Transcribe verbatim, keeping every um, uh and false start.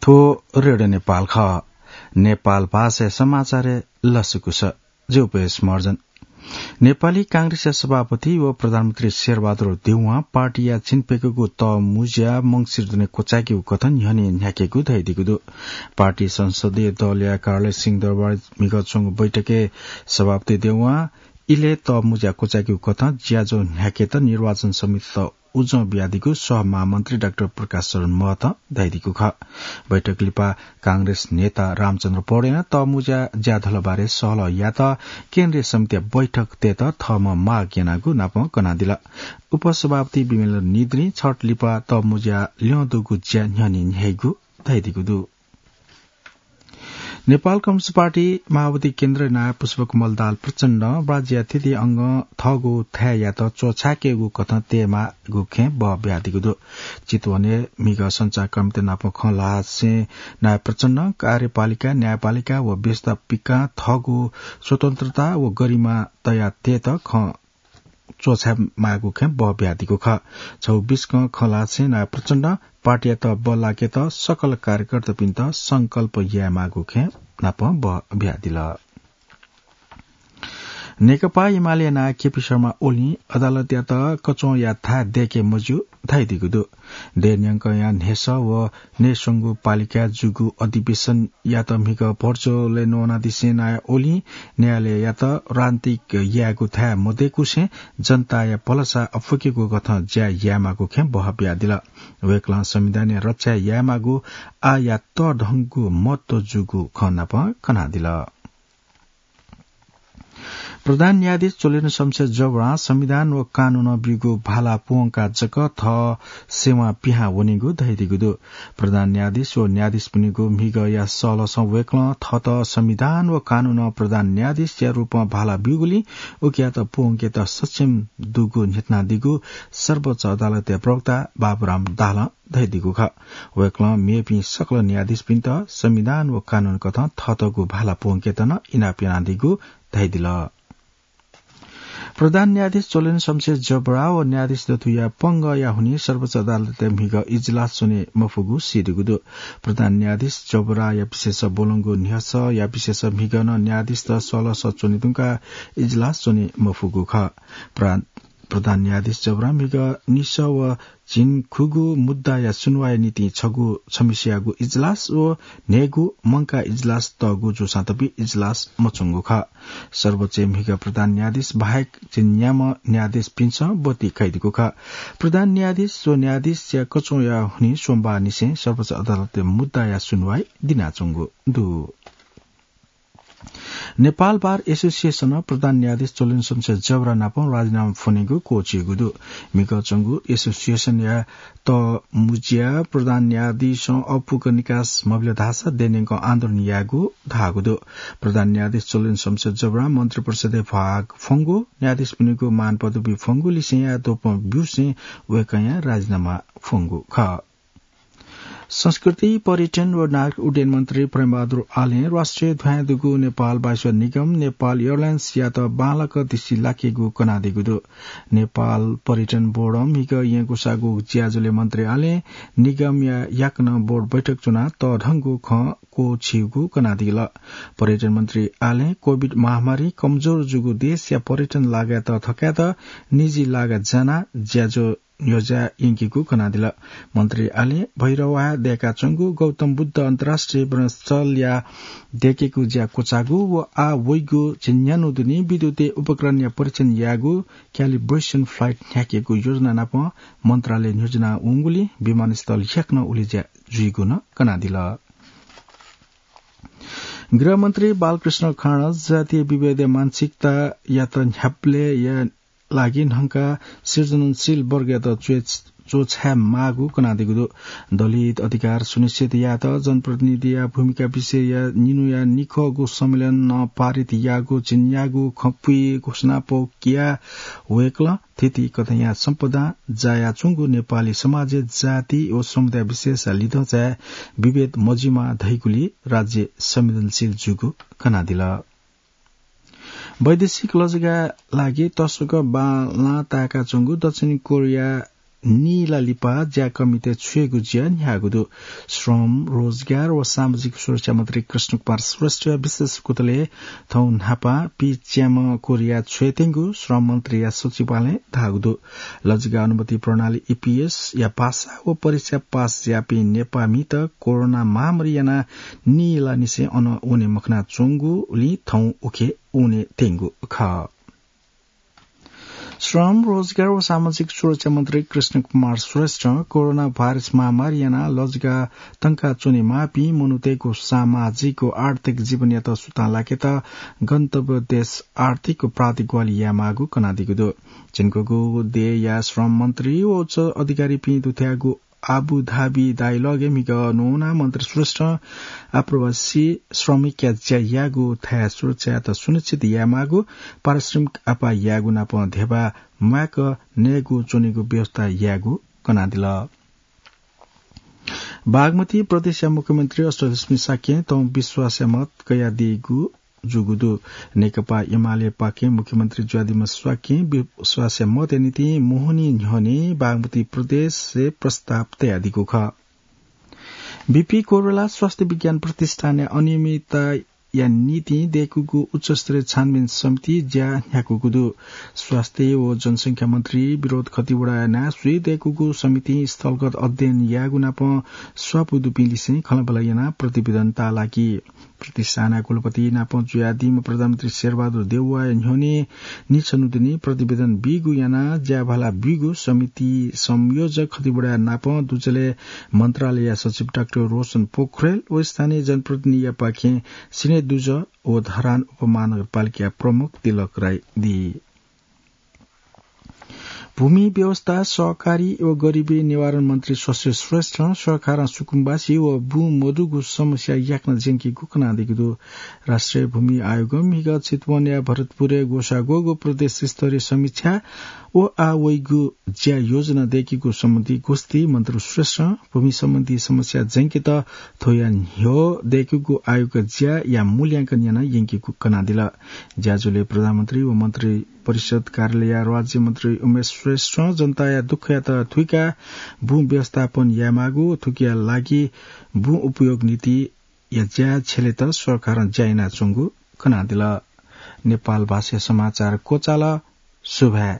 थ्व रेडियो नेपाल खः। नेपाल भाषाया समाचारय् लसकुस। जि उपेश महर्जन। नेपाली कांग्रेसया सभापति व प्रधानमन्त्री शेरबहादुर देउवां पार्टीया झिंप्यकूगु तःमुँज्या मंसिर दुने क्वचायेकेगु कथं न्ह्यःने न्ह्याकेगु धयादीगु दु। पार्टी संसदीय दलया कार्यालय सिंहदरबारय् म्हिगः च्वंगु बैठकय् सभापति देउवां इलय् तःमुँज्या क्वचायेकेगु कथं ज्याझ्वः न्ह्याकेत निर्वाचन समितित उजं बियादीगु सहमहामन्त्री डाक्टर प्रकाश शरण महतं धयादीगु खः। बैठक लिपा कांग्रेस नेता रामचन्द्र पौडेलं तःमुँज्या ज्याझ्वलबारे सहलह यायेत केन्द्रीय समितिया बैठक तयेत थःम्हं माग यानागु नापं कनादिल। उपसभापति विमलेन्द्र निद्रिं छट लिपा तःमुँज्या ल्यं दुगु ज्या न्ह्यःने न्ह्याइगु धयादीगु दु। नेपाल कम्युनिस्ट पार्टी माओवादी केन्द्र नायः पुष्पकमल दाहाल प्रचण्डं राज्यया थीथी अंगं थःगु थाय्‌यात च्वछाय्‌केगु कथं तयेमाःगु खँय् बः बियादीगु दु। चितवनय् म्हिगः सञ्चारकर्मीत नाप खँ ल्हासें नायः प्रचण्डं कार्यपालिका, न्यायपालिका व व्यवस्थापिकां थःगु स्वतन्त्रता व गरिमा तयातयेत खँ च्वछाय् माःगु खँय् बः बियादीगु खः। छगू बिस्कं खँ ल्हासें नायः प्रचण्डं पार्टीयात बल्लाकेत सकल कार्यकर्तापिन्त संकल्प यायेमाःगु खँय् नाप बः बियादिल। नेकपा एमाले नायः केपी शर्मा ओलीं अदालतयात कचंया थाय् दय्‌के मज्यू धयादीगु दु। देय्‌न्यंकया न्ह्यसः व नयेस्वंगू पालिकाय् जूगु अधिवेशनयात म्हिगः भर्चुअलय् नवानादिसें नायः ओलीं न्यायालययात राजनीतिक यायेगु थाय् मदय्‌कुसें जनताया भलसा अप्वय्‌केगु कथं ज्या यायेमाःगु खँय् बः बियादिल। वय्‌कलं संविधानया रक्षा यायेमाःगु आःया तःधंगु महत्व जूगु खँ नाप कनादिल। प्रधान न्यायाधीश चोलेन्द्र शमशेर जबरां संविधान व कानूनं ब्यूगु भाला प्वंकाः जक थः सेवां पिहां वनीगु धयादीगु दु। प्रधान न्यायाधीश व न्यायाधीशपिनिगु म्हिगःया सलसं वय्‌कलं थःत संविधान व कानूनं प्रधान न्यायाधीशया रूपं भाला ब्यूगुलिं उकियात प्वंकेत सक्षम दुगु न्ह्यथनादीगु सर्वोच्च अदालतया प्रवक्ता बाबुराम दाहालं धयादीगु खः। वय्‌कलं मेपिं सकल न्यायाधीशपिन्त संविधान व कानून कथं थःतःगु भाला प्वंकेत नं इनाप यानादीगु धयादिल। प्रधान न्यायाधीश चोलेन्द्र शमशेर जबरा व न्यायाधीश दथुया पंगःया हुनिं सर्वोच्च अदालतय् म्हिगः इजलास च्वने मफुगु सीदीगु दु। प्रधान न्यायाधीश जबराया विशेष ब्वलंगु न्ह्यसःया विशेष म्हिगः नं न्यायाधीशत सलसः च्वने धुंकाः इजलास च्वने मफुगु खः। प्रा-, प्रधान न्यायाधीश जबरा म्हिगः निसः व झिंखुगू मुद्दाया सुनुवाइया निंतिं छगू छम्हेसियागु इजलास व न्हय्‌गू मंकाः इजलास तःगु जूसां तपि इजलास मच्वंगु खः। सर्वोच्चय् म्हिगः प्रधान न्यायाधीश बाहेक झिंन्याम्ह न्यायाधीशपिन्सं ब्वति कयादीगु खः। प्रधान न्यायाधीश व न्यायाधीशया कचंया हुनिं सोमबारनिसें सर्वोच्च अदालतय् मुद्दाया सुनुवाइ दिनाच्वंगु दु। नेपाल बार एसोसिएसनं प्रधान न्यायाधीश चोलेन्द्र शमशेर जबरा नाप राजीनामा फ्वनेगु क्वःछिइगु दु। म्हिगः च्वंगु एसोसिएसनया तःमुँज्या प्रधान न्यायाधीशं अःपुक निकास मबिल धाःसा देय्‌न्यंकं आन्दोलन यायेगु धाःगु दु। प्रधान न्यायाधीश चोलेन्द्र शमशेर जबरां मन्त्रिपरिषदय् भाग फ्वंगु, न्यायाधीशपिनिगु मान पदवी फ्वंगु लिसेंया द्वपं ब्यूसें वय्‌कःया राजीनामा फ्वंगु खः। संस्कृति, पर्यटन व नागरिक उड्डयन मन्त्री प्रेमबहादुर आलें राष्ट्रिय ध्वाँय् दुगु नेपाल वायुसेवा निगम, नेपाल एयरलाइन्सयात बांलाक दृष्टि लाकेगु कनादीगु दु। नेपाल पर्यटन बोर्डं म्हिगः येँय् ग्वसाःगु ज्याझ्वलय् मन्त्री आलें निगमया याकनं बोर्ड बैठक च्वनाः तःधंगु खँ क्वःछिइगु कनादिल। पर्यटन मन्त्री आलें कोभिड महामारीं कमजोर जूगु देशया पर्यटन लागायात थकायेत निजी लागा जानाः ज्याझ्वः न्ह्यज्याः यंकीगु कनादिल। मन्त्री आलें भैरवाः दय्‌काच्वंगु गौतम बुद्ध अन्तर्राष्ट्रिय विमानस्थलया दय्‌केगु ज्या क्वचाःगु व आः वइगु झिंन्यान्हु दुने विद्युतीय उपकरणया परीक्षण यायेगु calibration flight न्ह्याकेगु योजना नाप मन्त्रालय न्ह्यज्यानाः वंगुलिं विमानस्थल याकनं उलेज्या जुइगु नं कनादिल। गृहमन्त्री बालकृष्ण खाँड जातीय विभेदया मानसिकतायात न्ह्याबलेया लागि न्हंकाः सृजनशील वर्गयात च्वय्-, च्वछाये माःगु कनादीगु दु। दलित अधिकार सुनिश्चित यायेत जनप्रतिनिधिया भूमिका विषयया निन्हुया निखःगु संमेलनं पारित याःगु झिंन्यागू खँपुइ घोषणापौ कियाः वय्‌कलं थीथी कथंया सम्पदां जायाच्वंगु नेपाली समाजय् जाति व समुदाय विशेषया लिधंचाय् विभेद मजुइमा धइगुलिइ राज्य संवेदनशील जूगु कनादिल। वैदेशिक लजगाःया लागि तसकं बांलाः ताय्‌काच्वंगु दक्षिण कोरिया नीला लिपा ज्याकःमित छुयेगु ज्या न्ह्याःगु दु। श्रम, रोजगार व सामाजिक सुरक्षा मन्त्री कृष्ण कुमार श्रेष्ठया विशेष कुतलय् थौं न्हापा पीच्याम्ह कोरिया छुयेत्यंगु श्रम मन्त्रीया सचिवालयं धाःगु दु। लजिका अनुमति प्रणाली, ईपीएस, या भाषा व परीक्षा पास याःपिं नेपाःमित कोरोना महामारी यानाः नीला निसें अन वने मखनाच्वंगुलिं थौं उखे वने त्यंगु खः। श्रम, रोजगार व सामाजिक सुरक्षा मन्त्री कृष्ण कुमार श्रेष्ठं कोरोना भाइरस महामारी यानाः लजिका तंका च्वनेमाःपिं मनूतय्‌गु सामाजिक व आर्थिक जीवनयात सुतां लाकेत गन्तव्य देश आर्थिक प्राधिकवाली यायेमाःगु कनादीगु दु। झिंकूगु देय्‌या श्रम मन्त्री व उच्च अधिकारीपिं दुथ्याःगु आबुधाबी डायलगय् म्हिगः न्वनाः मन्त्री श्रेष्ठं आप्रवासी श्रमिकया ज्या याःगु थाय् सुरक्षायात सुनिश्चित यायेमाःगु, पारिश्रमिक आपाः यायेगु नाप ध्यबा म्वायेक नयेगु च्वनेगु व्यवस्था यायेगु कनादिल। बागमती प्रदेशया मुख्यमन्त्री अष्टलक्ष्मी शाक्यं थौं विश्वासया मत कयादीगु जूगु दु। नेकपा एमालेपाखें मुख्यमन्त्री जुयादीम्ह शाक्यं विश्वासया मतया निंतिं मोहनी न्ह्यःने बागमती प्रदेशय् प्रस्ताव तयादीगु खः। बीपी कोइराला स्वास्थ्य विज्ञान प्रतिष्ठानया अनियमितताया निंतिं दय्‌कूगु उच्चस्तरीय छानबिन समिति ज्या न्ह्याकूगु दु। स्वास्थ्य व जनसंख्या मन्त्री विनोद खतिवडाया नां स्वयाः दय्‌कूगु समितिं स्थलगत अध्ययन यायेगु नाप स्वापू दुपिं लिसें खँल्हाबल्हा यानाः प्रतिवेदन ताःलाकी। प्रतिष्ठानया कुलपति नाप जुयादीम्ह प्रधानमन्त्री शेरबहादुर देउवाया न्ह्यःने निछन्हुदुने प्रतिवेदन बीगु यानाः ज्याभाला ब्यूगु समिति संयोजक खतिवडाया नाप दुजलय् मन्त्रालयया सचिव डाक्टर रोशन पोखरेल व स्थानीय जनप्रतिनिधियापाखें सिनेदुजः व धरान उपमहानगरपालिकाया प्रमुख तिलक राई दी। भूमि व्यवस्था, सहकारी व गरिबी निवारण मन्त्री शशि श्रेष्ठं सरकारं सुकुम्बासी व बुँ मदुगु समस्या याकनं ज्यंकीगु कनादीगु दु। राष्ट्रिय भूमि आयोगं म्हिगः चितवनया भरतपुरय् ग्वसाः ग्वःगु प्रदेश स्तरीय समीक्षा व आः वइगु ज्या योजना दय्‌कीगु सम्बन्धी गोष्ठी मन्त्री श्रेष्ठं भूमि सम्बन्धी समस्या ज्यंकेत थ्वया न्ह्यः दय्‌कीगु आयोगया ज्याया मूल्यांकन यानाः यंकीगु कनादिल। ज्याझ्वलय् प्रधानमन्त्री व मन्त्री परिषद कार्यालयया राज्यमन्त्री उमेश श्रेष्ठं जनताया दुःखयात थुइकाः बुँ व्यवस्थापन यायेमाःगु, थुकिया लागि बुँ उपयोग नीतिया ज्या छ्यलेत सरकारं ज्या यानाच्वंगु कनादिल। नेपाल भाषाया समाचार क्वचाल। सुभाय्।